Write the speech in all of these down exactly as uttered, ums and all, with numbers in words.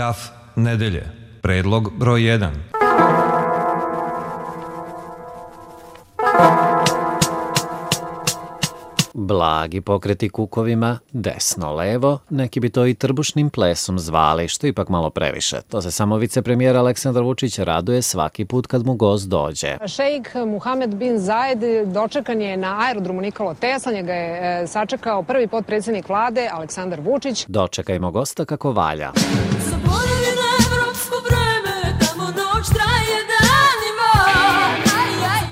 Gaf nedelje. Predlog broj jedan. Blagi pokreti kukovima, desno-levo, neki bi to i trbušnim plesom zvali, što ipak malo previše. To se samo vicepremijer Aleksandar Vučić raduje svaki put kad mu gost dođe. Šejk Muhamed bin Zajed dočekan je na aerodromu Nikola Tesla, njega je sačekao prvi potpredsjednik vlade Aleksandar Vučić. Dočekajmo gosta kako valja.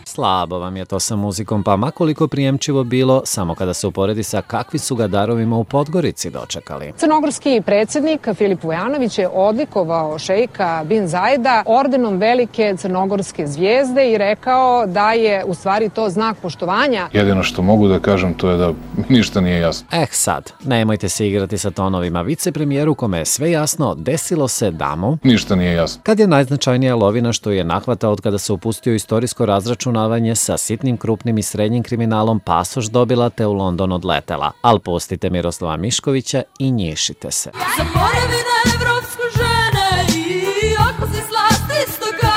Slabo vam je to sa muzikom, pa makoliko prijemčivo bilo, samo kada se uporedi sa kakvi su ga darovima u Podgorici dočekali. Crnogorski predsjednik Filip Vujanović je odlikovao šejka bin Zajeda ordenom velike crnogorske zvijezde i rekao da je u stvari to znak poštovanja. Jedino što mogu da kažem to je da ništa nije jasno. Eh sad, nemojte se igrati sa tonovima. Vicepremijeru kome je sve jasno, desilo se da mu ništa nije jasno. Kad je najznačajnija lovina što je nahvatao od kada se upustio istorijsko razračunavanje sa sitnim, krupnim i srednjim kriminalom, pasoš dobila te u London odletela. Al pustite Miroslava Miškovića i njišite se. Zaboravi na evropsku žene i ako si slast istoka.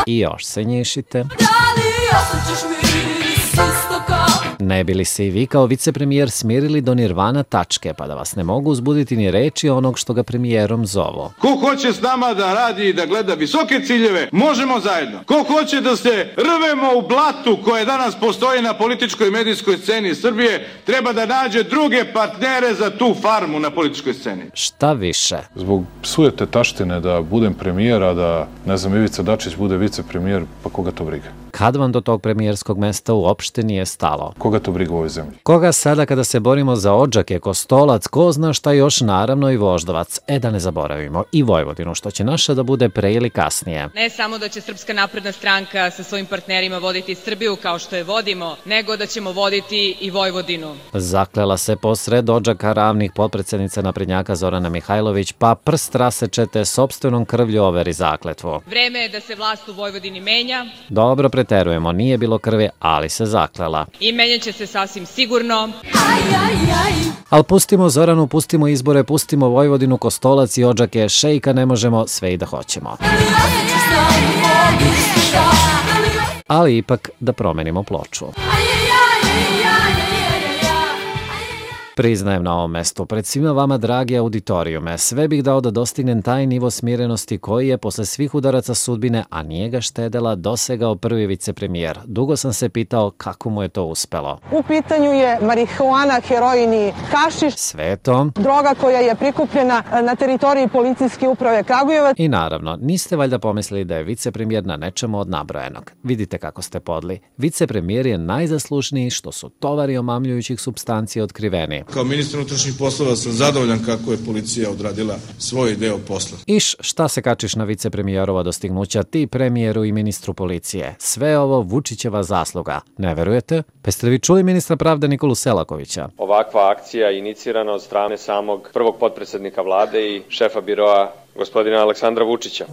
I još se njišite. Da li osjećaš miris istoka? Ne bi li se i vi kao vicepremijer smirili do nirvana tačke, pa da vas ne mogu uzbuditi ni reči onog što ga premijerom zovu? Ko hoće s nama da radi i da gleda visoke ciljeve, možemo zajedno. Ko hoće da se rvemo u blatu koje danas postoji na političkoj i medijskoj sceni Srbije, treba da nađe druge partnere za tu farmu na političkoj sceni. Šta više? Zbog sujete taštine da budem premijer, a da, ne znam, Ivica Dačić bude vicepremijer, pa koga to briga? Kad vam do tog premijerskog mesta uopšte nije stalo? Koga to briga u ovoj zemlji? Koga sada kada se borimo za Odžake, Kostolac, ko zna šta još, naravno i Voždovac. E da ne zaboravimo i Vojvodinu, što će naša da bude pre ili kasnije. Ne samo da će Srpska napredna stranka sa svojim partnerima voditi Srbiju kao što je vodimo, nego da ćemo voditi i Vojvodinu. Zaklela se posred Odžaka ravnih potpredsednica naprednjaka Zorana Mihajlović, pa prst rasečete sopstvenom krvlju overi zakletvu. Vreme je da se vlast u Vojvodini menja. Dobro, preterujemo, nije bilo krvi, ali se zaklela. I menjaće se sasvim sigurno. Aj, aj, aj. Al pustimo Zoranu, pustimo izbore, pustimo Vojvodinu, Kostolac i Odžake, šejka ne možemo, sve i da hoćemo. Ali ipak da promenimo ploču. Priznajem na ovom mestu, pred svima vama, dragi auditorijume, sve bih dao da dostignem taj nivo smirenosti koji je posle svih udaraca sudbine, a nije ga štedela, dosegao prvi vicepremijer. Dugo sam se pitao kako mu je to uspelo. U pitanju je marihuana, heroin i hašiš. Sve to. Droga koja je prikupljena na teritoriji policijske uprave Kragujevac. I naravno, niste valjda pomislili da je vicepremijer na nečemu od nabrojenog. Vidite kako ste podli. Vicepremijer je najzaslušniji što su tovari omamljujućih supstancija otkriveni. Kao ministar unutrašnjih poslova sam zadovoljan kako je policija odradila svoj deo posla. Iš, šta se kačiš na vicepremijerova dostignuća, ti premijeru i ministru policije? Sve ovo Vučićeva zasluga. Ne verujete? Pa ste vi čuli ministra pravde Nikolu Selakovića? Ovakva akcija je inicirana od strane samog prvog potpredsednika vlade i šefa biroa gospodina Aleksandra Vučića.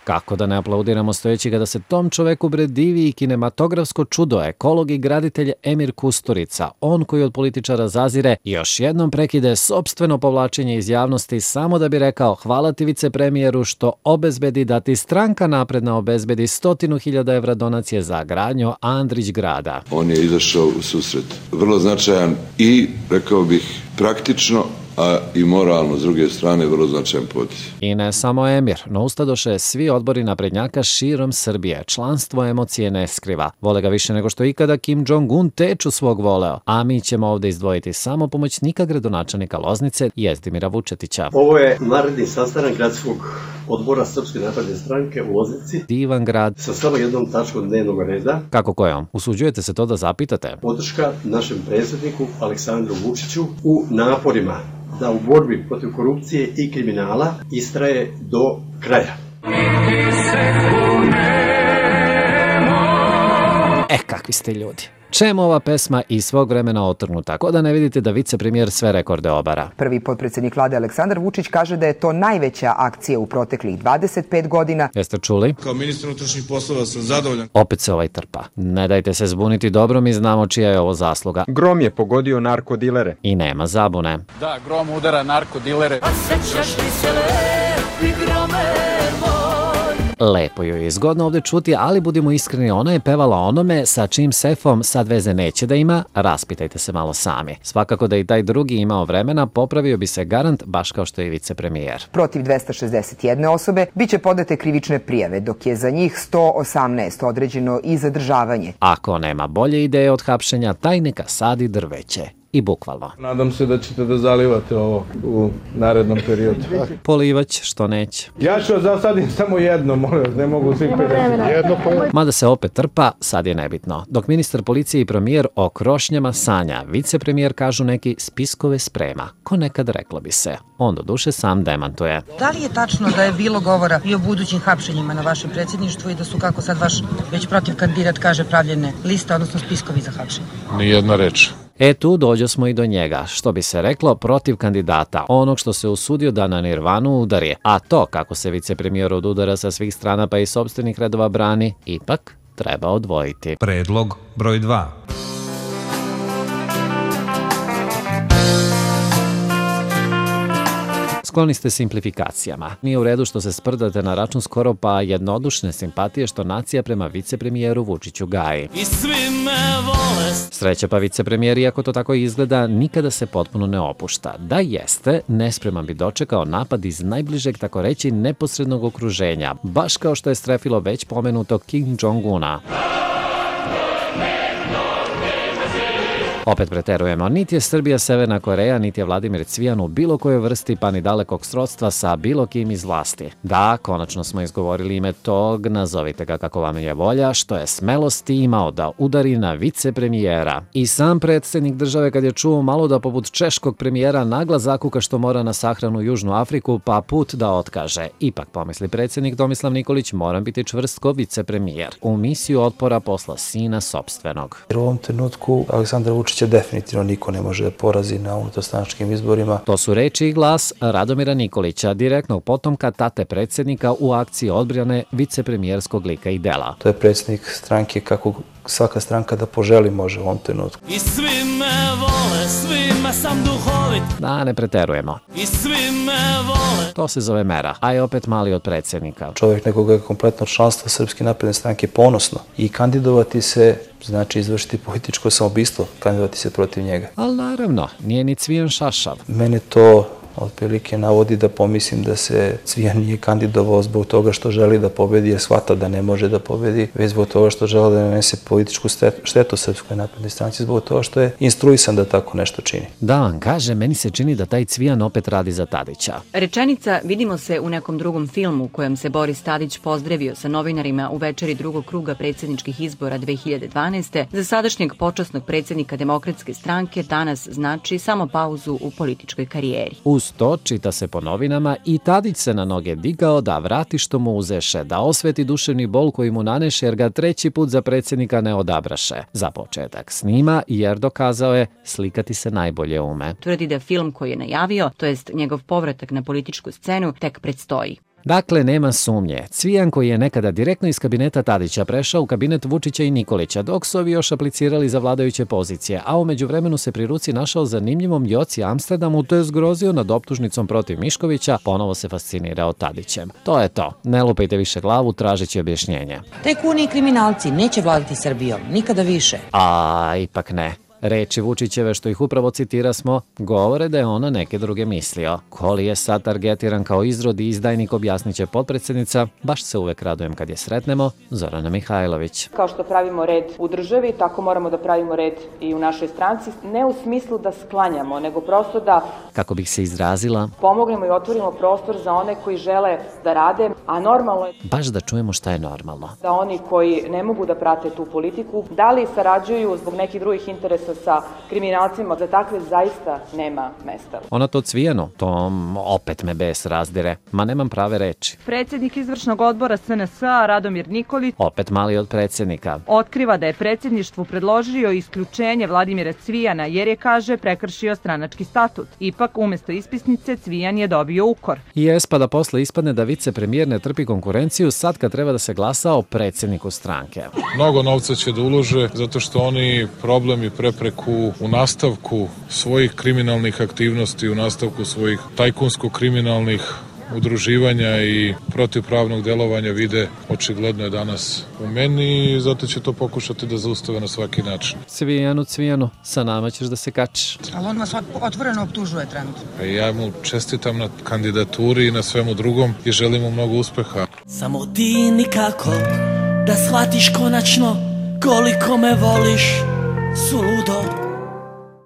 Kako da ne aplaudiramo stojeći kada se tom čoveku bre divi i kinematografsko čudo, ekolog i graditelj Emir Kusturica, on koji od političara zazire, još jednom prekide sopstveno povlačenje iz javnosti samo da bi rekao hvala ti vicepremijeru što obezbedi da ti stranka napredna obezbedi stotinu hiljada evra donacije za gradnju Andrić grada. On je izašao u susret. Vrlo značajan i, rekao bih, praktično, a i moralno, s druge strane, vrlo značajan potez. I ne samo Emir, no ustadoše svi odbori naprednjaka širom Srbije. Članstvo emocije ne skriva. Vole ga više nego što ikada Kim Jong-un teču svog voleo. A mi ćemo ovde izdvojiti samo pomoćnika gradonačelnika Loznice, Jezdimira Vučetića. Ovo je naredni sastanak gradskog odbora Srpske napredne stranke u Loznici. Divan grad. Sa samo jednom tačkom dnevnog reda. Kako kojom? Usuđujete se to da zapitate? Podrška našem predsjedniku Aleksandru Vučiću u naporima da u borbi protiv korupcije i kriminala istraje do kraja. E, kakvi ste ljudi. Čemu ova pesma iz svog vremena otrnuta, ko da ne vidite da vicepremijer sve rekorde obara? Prvi potpredsjednik vlade Aleksandar Vučić kaže da je to najveća akcija u proteklih dvadeset pet godina. Jeste čuli? Kao ministar unutrašnjih poslova sam zadovoljan. Opet se ovaj trpa. Ne dajte se zbuniti, dobro mi znamo čija je ovo zasluga. Grom je pogodio narkodilere. I nema zabune. Da, grom udara narkodilere. A sećaš li se lepi grome moj? Lepo joj je zgodno ovde čuti, ali budimo iskreni, ona je pevala onome sa čim sefom sad veze neće da ima, raspitajte se malo sami. Svakako da i taj drugi imao vremena, popravio bi se garant, baš kao što je vicepremijer. Protiv dvesta šezdeset jedne osobe biće podate krivične prijave, dok je za njih sto osamnaest određeno i zadržavanje. Ako nema bolje ideje od hapšenja, taj neka sadi drveće. I bukvalno. Nadam se da ćete da zalivate ovo u narednom periodu. Polivać, što neće. Ja ću zasadim samo jedno, molim, ne mogu svih pedeset. Mada se opet trpa, sad je nebitno. Dok ministar policije i premijer o krošnjama sanja, vicepremijer kažu neki spiskove sprema. Ko nekad reklo bi se. On do duše sam demantuje. Da li je tačno da je bilo govora i o budućim hapšenjima na vašem predsjedništvu i da su, kako sad vaš već protiv kandidat kaže, pravljene liste, odnosno spiskovi za hapšenje? Nijedna reč. E tu dođo smo i do njega, što bi se reklo protiv kandidata, onog što se usudio da na nirvanu udari, a to kako se vicepremijer od udara sa svih strana pa i sopstvenih redova brani, ipak treba odvojiti. Predlog broj dva. Skloni ste simplifikacijama. Nije u redu što se sprdate na račun skoro pa jednodušne simpatije što nacija prema vicepremijeru Vučiću gaji. I svi me vole. Sreća pa vicepremijer, iako to tako izgleda, nikada se potpuno ne opušta. Da jeste, nespreman bi dočekao napad iz najbližeg, tako reći, neposrednog okruženja, baš kao što je strefilo već pomenuto Kim Jong-una. Opet preterujemo, niti je Srbija Severna Koreja, niti je Vladimir Cvijan u bilo kojoj vrsti pa ni dalekog srodstva sa bilo kim iz vlasti. Da, konačno smo izgovorili ime tog, nazovite ga kako vam je volja, što je smelosti imao da udari na vicepremijera. I sam predsjednik države kad je čuo malo da poput češkog premijera nagla zakuka što mora na sahranu Južnu Afriku pa put da otkaže. Ipak pomisli predsjednik Tomislav Nikolić, moram biti čvrst ko vicepremijer. U misiju otpora posla sina sopstvenog. Jer u ovom trenutku Aleksandar Vučić će definitivno niko ne može da porazi na unutarstranačkim izborima. To su reči i glas Radomira Nikolića, direktnog potomka tate predsjednika u akciji odbrane vicepremijerskog lika i dela. To je predsjednik stranke kako svaka stranka da poželi može u ovom trenutku. I svi me vole, svima sam duhovit. Da, ne preterujemo. I svi me vole. To se zove mera, a je opet mali od predsjednika. Čovjek nekoga je kompletno članstvo Srpske napredne stranke ponosno i kandidovati se znači izvršiti političko samoubistvo, kandidovati se protiv njega. Ali naravno, nije ni Cvijan šašav. Mene to otprilike navodi da pomislim da se Cvijan nije kandidovao zbog toga što želi da pobedi, jer shvata da ne može da pobedi, već zbog toga što želi da nanese političku štetu Srpskoj naprednoj stranci, zbog toga što je instruisan da tako nešto čini. Da vam kaže, meni se čini da taj Cvijan opet radi za Tadića. Rečenica vidimo se u nekom drugom filmu u kojem se Boris Tadić pozdravio sa novinarima u večeri drugog kruga predsjedničkih izbora dve hiljade dvanaeste. Za sadašnjeg počasnog predsjednika Demokratske stranke danas znači samo pauzu u političkoj karijeri. Uz to, čita se po novinama, i Tadić se na noge digao da vrati što mu uzeše, da osveti duševni bol koji mu naneše jer ga treći put za predsjednika ne odabraše. Za početak snima jer dokazao je slikati se najbolje ume. Tvrdi da film koji je najavio, to jest njegov povratak na političku scenu, tek predstoji. Dakle, nema sumnje. Cvijan koji je nekada direktno iz kabineta Tadića prešao u kabinet Vučića i Nikolića, dok su ovi još aplicirali za vladajuće pozicije, a u međuvremenu se pri ruci našao zanimljivom Joci Amsterdamu, te je zgrozio nad optužnicom protiv Miškovića, ponovo se fascinirao Tadićem. To je to. Ne lupajte više glavu, tražeći objašnjenje. Tajkuni i kriminalci neće vladati Srbijom, nikada više. A, ipak ne. Reči Vučićeve, što ih upravo citira smo, govore da je ona neke druge mislio. Ko li je sad targetiran kao izrod i izdajnik, objasnit će potpredsjednica. Baš se uvek radujem kad je sretnemo, Zorana Mihajlović. Kao što pravimo red u državi, tako moramo da pravimo red i u našoj stranci. Ne u smislu da sklanjamo, nego prosto da, kako bih se izrazila, pomognemo i otvorimo prostor za one koji žele da rade, a normalno je baš da čujemo šta je normalno. Da oni koji ne mogu da prate tu politiku, da li sarađuju zbog nekih drugih interesa odnosa sa kriminalcima, za takve zaista nema mesta. Ona to Cvijanu, to opet me bes razdire, ma nemam prave reči. Predsjednik izvršnog odbora S N S-a Radomir Nikolić Opet mali od predsjednika. Otkriva da je predsjedništvu predložio isključenje Vladimira Cvijana jer je, kaže, prekršio stranački statut. Ipak, umjesto ispisnice, Cvijan je dobio ukor. Jes, pa da posle ispadne da vicepremijer ne trpi konkurenciju sad kad treba da se glasa o predsjedniku stranke. Mnogo novca će da ulože zato što oni problem i prepreku u nastavku svojih kriminalnih aktivnosti, u nastavku svojih tajkunsko-kriminalnih udruživanja i protivpravnog delovanja vide očigledno je danas u meni i zato će to pokušati da zaustave na svaki način. Cvijanu, Cvijanu, sa nama ćeš da se kačiš. Ali on vas otvoreno optužuje trenutno. Ja mu čestitam na kandidaturi i na svemu drugom i želim mu mnogo uspeha. Samo ti nikako da shvatiš konačno koliko me voliš, suludo.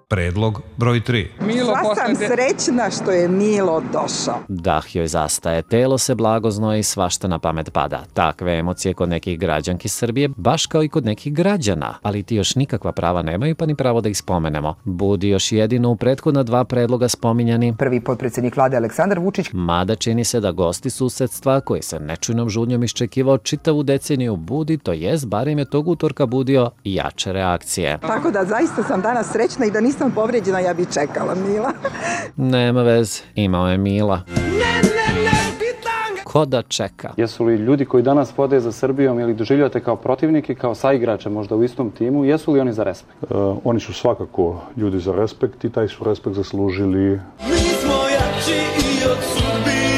Predlog broj tri. Sva sam srećna što je Milo došao. Dah joj zastaje, telo se blago znoji, svašta na pamet pada. Takve emocije kod nekih građanki Srbije, baš kao i kod nekih građana. Ali ti još nikakva prava nemaju, pa ni pravo da ih spomenemo. Budi još jedino u prethodna dva predloga spominjani. Prvi potpredsjednik vlade Aleksandar Vučić. Mada čini se da gosti susedstva, koji se nečujnom žudnjom iščekivao čitavu deceniju, budi, to jest, barem je tog utorka budio jače reakcije. Tako da zaista sam danas srećna i da nisam sam povrijeđena, ja bi čekala Mila. Nema veze, imao je Mila. Ko da čeka? Jesu li ljudi koji danas vode za Srbijom ili doživljate kao protivnike, kao saigrače možda u istom timu, jesu li oni za respekt? Uh, oni su svakako ljudi za respekt i taj su respekt zaslužili. Mi smo jači i od sudbine.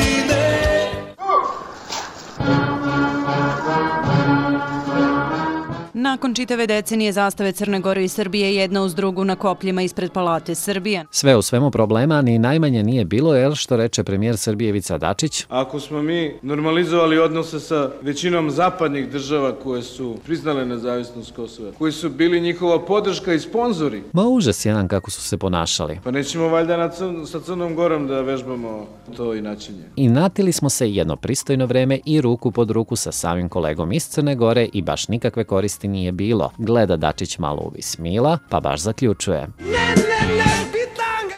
Nakon čitave decenije zastave Crne Gore i Srbije jedna uz drugu na kopljima ispred Palate Srbije. Sve u svemu problema ni najmanje nije bilo, jer što reče premijer Srbije Ivica Dačić. Ako smo mi normalizovali odnose sa većinom zapadnih država koje su priznale nezavisnost Kosova, koji su bili njihova podrška i sponzori. Ma užas jedan kako su se ponašali. Pa nećemo valjda na crn, sa Crnom Gorom da vežbamo to inačenje. I natili smo se jedno pristojno vreme i ruku pod ruku sa samim kolegom iz Crne Gore i baš nikakve koristi nije bilo. Gleda Dačić malo uvis Mila, pa baš zaključuje. Ne, ne, ne,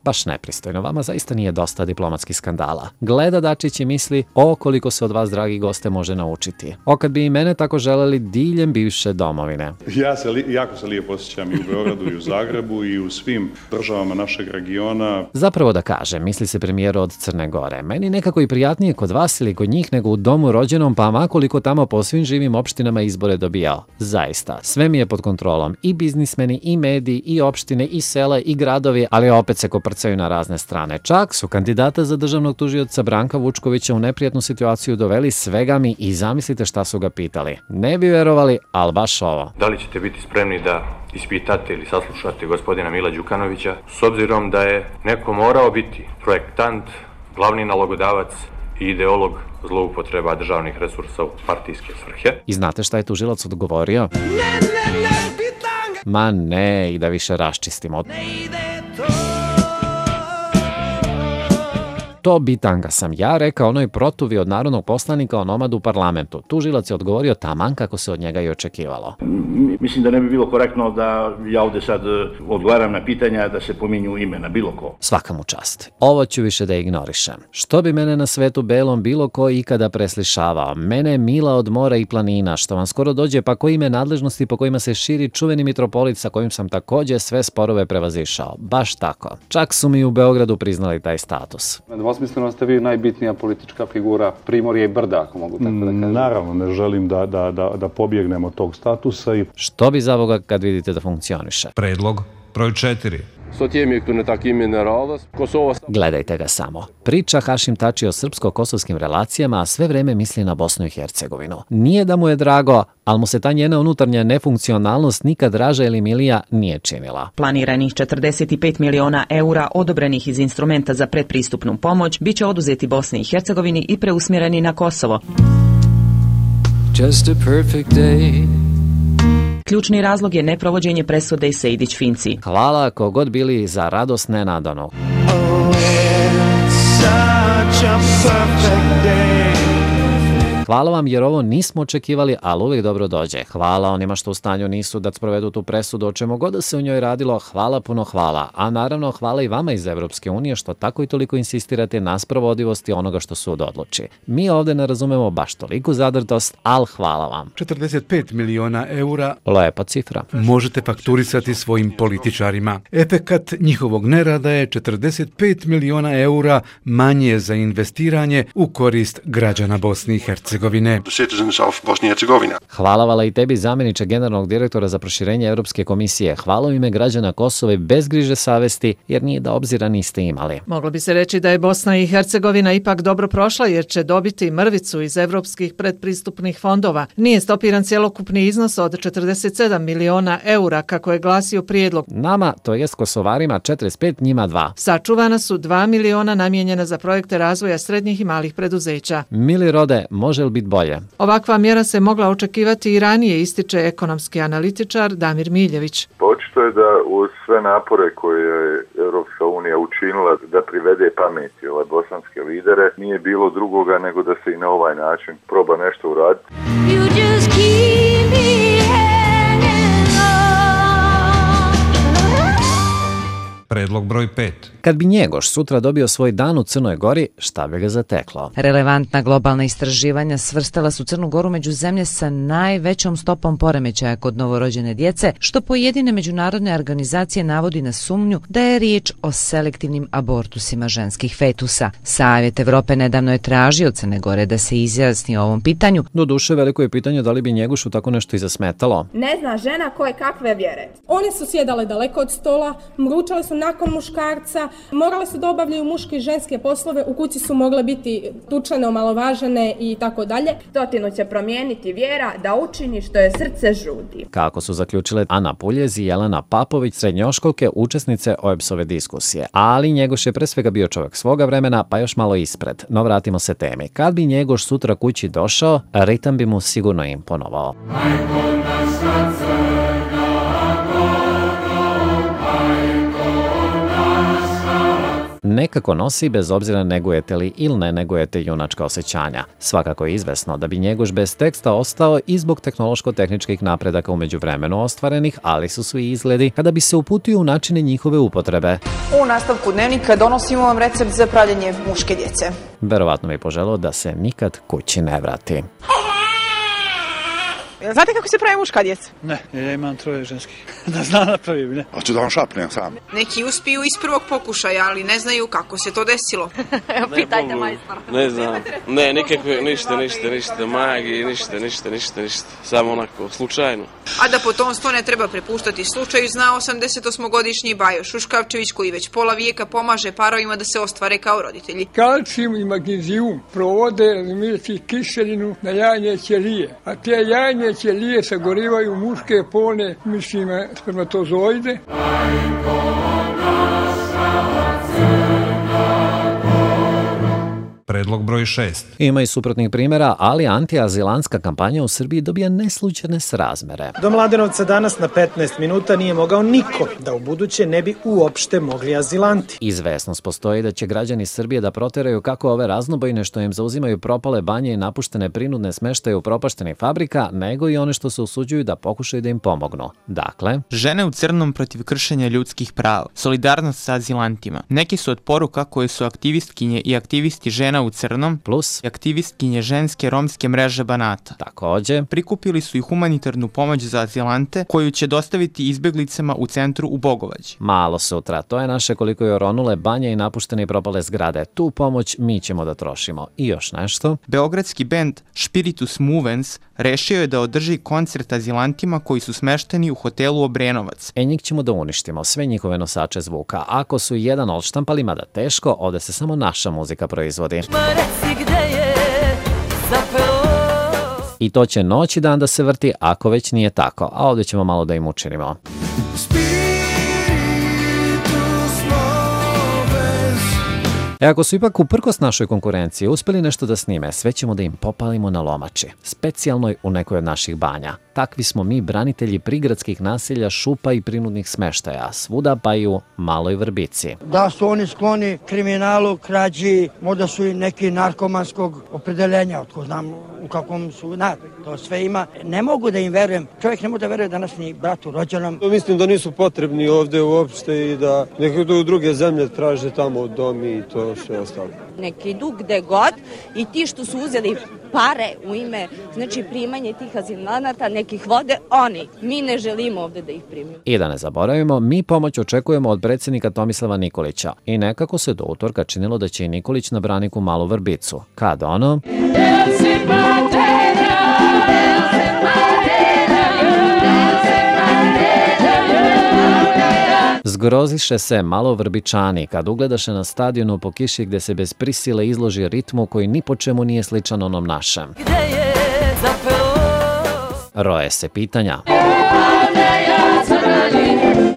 baš nepristojno, vama zaista nije dosta diplomatskih skandala. Gleda Dačić i misli, o koliko se od vas, dragi goste, može naučiti. O kad bi i mene tako želeli diljem bivše domovine. Ja se li, jako se lijepo osjećam i u Beogradu i u Zagrebu i u svim državama našeg regiona. Zapravo da kažem, misli se premijer od Crne Gore. Meni nekako i prijatnije kod vas ili kod njih nego u domu rođenom, pa makoliko tamo po svim živim opštinama izbore dobijao. Zaista, sve mi je pod kontrolom. I biznismeni, i mediji, i opštine, i sela, i gradovi, ali opet se koprcaju na razne strane. Čak su kandidata za državnog tužioca Branka Vučkovića u neprijatnu situaciju doveli svega mi i zamislite šta su ga pitali. Ne bi verovali, ali baš ovo. Da li ćete biti spremni da ispitate ili saslušate gospodina Mila Đukanovića, s obzirom da je neko morao biti projektant, glavni nalogodavac i ideolog zloupotreba državnih resursa u partijske svrhe? I znate šta je tužilac odgovorio? Ne, ne, ne, bitanga! Ma ne, i da više raščistimo. Ne ide to! To bitanga sam ja, rekao onoj protuvi od narodnog poslanika onomad u parlamentu. Tužilac je odgovorio taman kako se od njega i očekivalo. Mislim da ne bi bilo korektno da ja ovde sad odgovaram na pitanja da se pominju imena bilo ko. Svaka mu čast. Ovo ću više da ignorišem. Što bi mene na svetu belom bilo ko ikada preslišavao? Mene Mila od mora i planina, što vam skoro dođe, pa koji ime nadležnosti po kojima se širi čuveni mitropolit sa kojim sam takođe sve sporove prevazišao. Baš tako. Čak su mi u Beogradu priznali taj status. Osmisleno ste vi najbitnija politička figura Primorja i Brda, ako mogu tako da kažem. Naravno, ne želim da, da, da, da pobjegnem od tog statusa. I... Što bi za Boga kad vidite da funkcioniše? Predlog broj četiri. Gledajte ga samo. Priča Hašim Tači o srpsko-kosovskim relacijama, a sve vreme misli na Bosnu i Hercegovinu. Nije da mu je drago, ali mu se ta njena unutarnja nefunkcionalnost nikad draža ili milija nije činila. Planiranih četrdeset pet miliona eura odobrenih iz instrumenta za predpristupnu pomoć biće oduzeti Bosni i Hercegovini i preusmjereni na Kosovo. Just a perfect day. Ključni razlog je neprovođenje presude Sejdić-Finci. Hvala kogod bili za radost nenadano. Oh, it's such a perfect day. Hvala vam jer ovo nismo očekivali, ali uvijek dobro dođe. Hvala onima što u stanju nisu da sprovedu tu presudu o čemu god da se u njoj radilo. Hvala, puno hvala. A naravno hvala i vama iz Evropske unije što tako i toliko insistirate na sprovodivosti onoga što sud odluči. Mi ovde ne razumemo baš toliku zadrtost, ali hvala vam. četrdeset pet miliona eura lepa cifra. Možete fakturisati svojim političarima. Efekat njihovog nerada je četrdeset pet miliona eura manje za investiranje u korist građana Bosne i Hercegovine. Hvala vala i tebi, zamjeniče generalnog direktora za proširenje Europske komisije. Hvala u ime građana Kosova i bez griže savesti, jer nije da obzira niste imali. Moglo bi se reći da je Bosna i Hercegovina ipak dobro prošla jer će dobiti mrvicu iz evropskih predpristupnih fondova. Nije stopiran cjelokupni iznos od četrdeset sedam miliona eura kako je glasio prijedlog. Nama, to jest Kosovarima, četrdeset pet, njima dva. Sačuvana su dva miliona namijenjena za projekte razvoja srednjih i malih preduzeća. Mili rode, može li biti bolje? Ovakva mjera se mogla očekivati i ranije, ističe ekonomski analitičar Damir Miljević. Očito je da uz sve napore koje je Europska unija učinila da privede pameti ove bosanske lidere, nije bilo drugoga nego da se i na ovaj način proba nešto uraditi. Predlog broj pet. Kad bi Njegoš sutra dobio svoj dan u Crnoj Gori, šta bi ga zateklo? Relevantna globalna istraživanja svrstala su Crnu Goru među zemlje sa najvećom stopom poremećaja kod novorođene djece, što pojedine međunarodne organizacije navodi na sumnju da je riječ o selektivnim abortusima ženskih fetusa. Savjet Evrope nedavno je tražio od Crne Gore da se izjasni o ovom pitanju. Doduše, veliko je pitanje da li bi Njegošu tako nešto i zasmetalo. Ne zna žena koje kakve vjere. One su sjedale daleko od stola, mručale su nakon muškarca, morale su da obavljaju muške i ženske poslove, u kući su mogle biti tučene, omalovažene i tako dalje. Stotinu će promijeniti vjera da učini što je srce žudi. Kako su zaključile Ana Puljez i Jelena Papović, srednjoškolke, učesnice O E B S-ove diskusije. Ali Njegoš je pre svega bio čovjek svoga vremena, pa još malo ispred. No vratimo se temi. Kad bi Njegoš sutra kući došao, ritam bi mu sigurno imponovao. Nekako nosi bez obzira negujete li ili ne negujete junačka osjećanja. Svakako je izvesno da bi Njegoš bez teksta ostao i zbog tehnološko-tehničkih napredaka u međuvremenu ostvarenih, ali su svi izgledi kada bi se uputio u načine njihove upotrebe. U nastavku dnevnika donosimo vam recept za pravljenje muške djece. Verovatno bi poželio da se nikad kući ne vrati. Znate kako se pravi muška djeca? Ne, ja imam troje ženskih. Da znam napravim, ne. Hoću da vam šapnem sam. Neki uspiju iz prvog pokušaja, ali ne znaju kako se to desilo. Evo, pitajte majstora. Ne znam. Ne, nikakve, ništa, ništa, ništa, magije, ništa, ništa, ništa, ništa. Samo onako, slučajno. A da potomstvo ne treba prepuštati slučaju, zna osamdesetosmogodišnji Bajo Šuškavčević, koji već pola vijeka pomaže parovima da se ostvare kao roditelji. Kalcijum i magnezijum provode razumijeti kiselinu na jajne ćelije, a te jajne ćelije sagorivaju muške polne, mislim, spermatozoide. Predlog broj šest. Ima i suprotnih primjera, ali antiazilantska kampanja u Srbiji dobija neslučajne srazmere. Do Mladenovca danas na petnaest minuta nije mogao niko, da u buduće ne bi uopšte mogli azilanti. Izvesnost postoji da će građani Srbije da proteraju kako ove raznobojne što im zauzimaju propale banje i napuštene prinudne smeštaje u propaštenih fabrika, nego i one što se usuđuju da pokušaju da im pomognu. Dakle, žene u crnom protiv kršenja ljudskih prava, solidarnost sa azilantima. Neki su od poruka koje su aktivistkinje i aktivisti žena u crnom plus aktivistkinje ženske romske mreže Banata. Takođe, prikupili su i humanitarnu pomoć za azilante koju će dostaviti izbjeglicama u centru u Bogovađi. Malo sutra, to je naše koliko je oronule banje i napuštene i propale zgrade. Tu pomoć mi ćemo da trošimo. I još nešto. Beogradski bend Spiritus Movens rešio je da održi koncert azilantima koji su smešteni u hotelu Obrenovac. E njih ćemo da uništimo, sve njihove nosače zvuka. Ako su jedan odštampali, mada teško, ovde se samo naša muzika proizvodi. I to će noć i dan da se vrti, ako već nije tako. A ovdje ćemo malo da im učinimo. E ako su ipak uprkos našoj konkurenciji uspeli nešto da snime, sve ćemo da im popalimo na lomači, specijalnoj u nekoj od naših banja. takvi smo mi branitelji prigradskih naselja, šupa i prinudnih smeštaja, svuda pa i u Maloj Vrbici. Da su oni skloni kriminalu, krađi, možda su i neki narkomanskog opredeljenja, otko znam u kakvom su, na, to sve ima. Ne mogu da im verujem, čovjek ne može da veruje danas ni bratu rođenom. Mislim da nisu potrebni ovde uopšte i da neke druge zemlje traže tamo dom i to sve ostalo. Neki idu gde god i ti što su uzeli pare u ime, znači primanje tih azilanata, nekih vode, oni. Mi ne želimo ovde da ih primimo. I da ne zaboravimo, mi pomoć očekujemo od predsjednika Tomislava Nikolića. I nekako se do utorka činilo da će i Nikolić na braniku Malu Vrbicu. Kad ono... Zgroziše se malo Vrbičani kad ugledaše na stadionu po kiši gde se bez prisile izloži ritmu koji ni po čemu nije sličan onom našem. Roje se pitanja.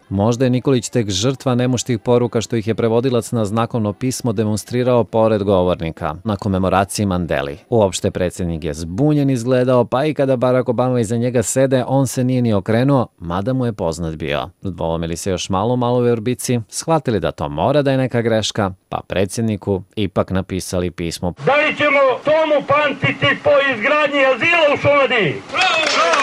Možda je Nikolić tek žrtva nemuštih poruka što ih je prevodilac na znakovno pismo demonstrirao pored govornika na komemoraciji Mandeli. Uopšte predsjednik je zbunjen izgledao, pa i kada Barack Obama iza njega sede, on se nije ni okrenuo, mada mu je poznat bio. Dvoumili se još malo u Maloj Vrbici, shvatili da to mora da je neka greška, pa predsjedniku ipak napisali pismo. Da li ćemo tomu pamtiti po izgradnji azila u Šumadiji? Bravo, bravo,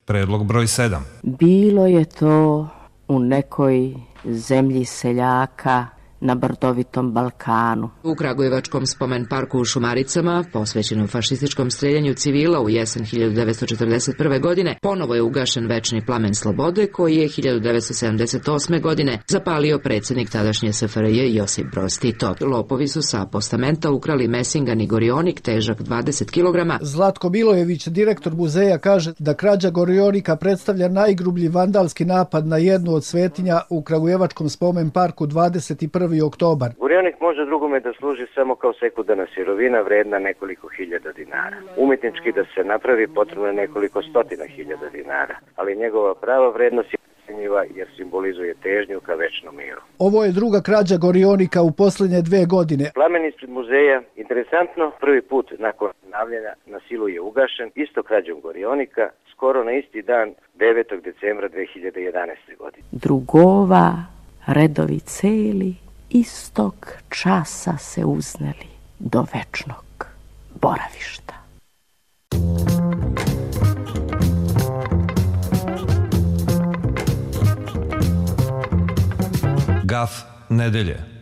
Predlog broj sedam. Bilo je to u nekoj zemlji seljaka na brdovitom Balkanu. U Kragujevačkom spomen parku u Šumaricama, posvećenom fašističkom streljanju civila u jesen hiljadu devetsto četrdeset prve. godine, ponovo je ugašen večni plamen slobode koji je hiljadu devetsto sedamdeset osme. godine zapalio predsjednik tadašnje S F R J Josip Broz Tito. Lopovi su sa postamenta ukrali mesingan i gorionik težak dvadeset kilograma. Zlatko Milojević, direktor muzeja, kaže da krađa gorionika predstavlja najgrublji vandalski napad na jednu od svetinja u Kragujevačkom spomen parku dvadeset prvi oktobar. Gorionik može drugome da služi samo kao sekundarna sirovina vredna nekoliko hiljada dinara. Umetnički da se napravi potrebno je nekoliko stotina hiljada dinara, ali njegova prava vrednost je procjenjiva jer simbolizuje težnju ka večnom miru. Ovo je druga krađa gorionika u posljednje dve godine. Plamen ispred muzeja, interesantno, prvi put nakon obnavljanja na silu je ugašen, isto krađom gorionika, skoro na isti dan devetog decembra dve hiljade jedanaeste. godine. Drugova redovi celi istog časa se uzneli do večnog boravišta. Gaf nedelje.